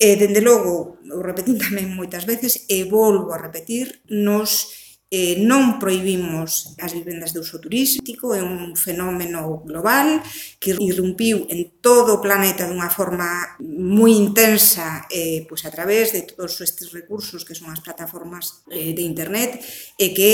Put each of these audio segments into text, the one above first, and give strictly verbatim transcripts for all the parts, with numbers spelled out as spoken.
E, dende logo, o repetín tamén moitas veces, e volvo a repetir, nos eh, non prohibimos as vivendas de uso turístico, é un fenómeno global que irrumpiu en todo o planeta dunha forma moi intensa eh, pois a través de todos estes recursos que son as plataformas eh, de internet e que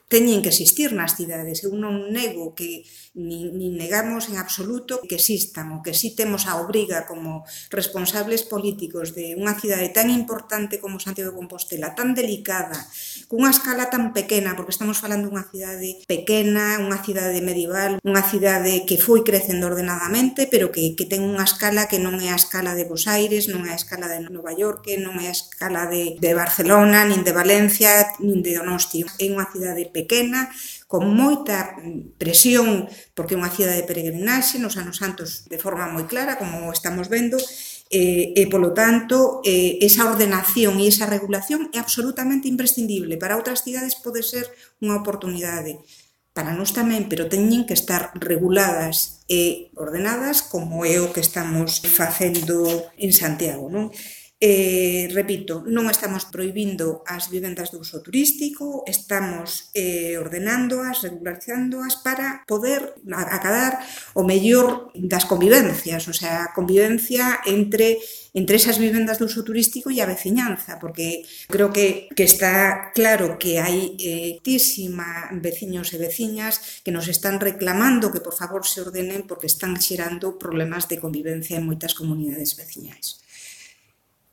teñen que existir nas cidades. Eu non nego que ni, ni negamos en absoluto que existan, o que sí temos a obriga como responsables políticos de unha cidade tan importante como Santiago de Compostela, tan delicada, cunha escala tan pequena, porque estamos falando dunha cidade pequena, unha cidade medieval, unha cidade que foi crecendo ordenadamente, pero que, que ten unha escala que non é a escala de Bos Aires, non é a escala de Nova York, non é a escala de, de Barcelona, nin de Valencia, nin de Donosti. É unha cidade pequena, con moita presión, porque é unha cidade de peregrinaxe nos anos santos de forma moi clara, como estamos vendo, e, e polo tanto, eh, esa ordenación e esa regulación é absolutamente imprescindible. Para outras cidades pode ser unha oportunidade, para nós tamén, pero teñen que estar reguladas e ordenadas como é o que estamos facendo en Santiago, non? Eh, repito, non estamos prohibindo as vivendas de uso turístico, estamos eh, ordenándoas, regularizándoas para poder acadar o mellor das convivencias, o sea, a convivencia entre entre esas vivendas de uso turístico e a veciñanza, porque creo que, que está claro que hai eh, tísima veciños e veciñas que nos están reclamando que por favor se ordenen porque están xerando problemas de convivencia en moitas comunidades veciñais.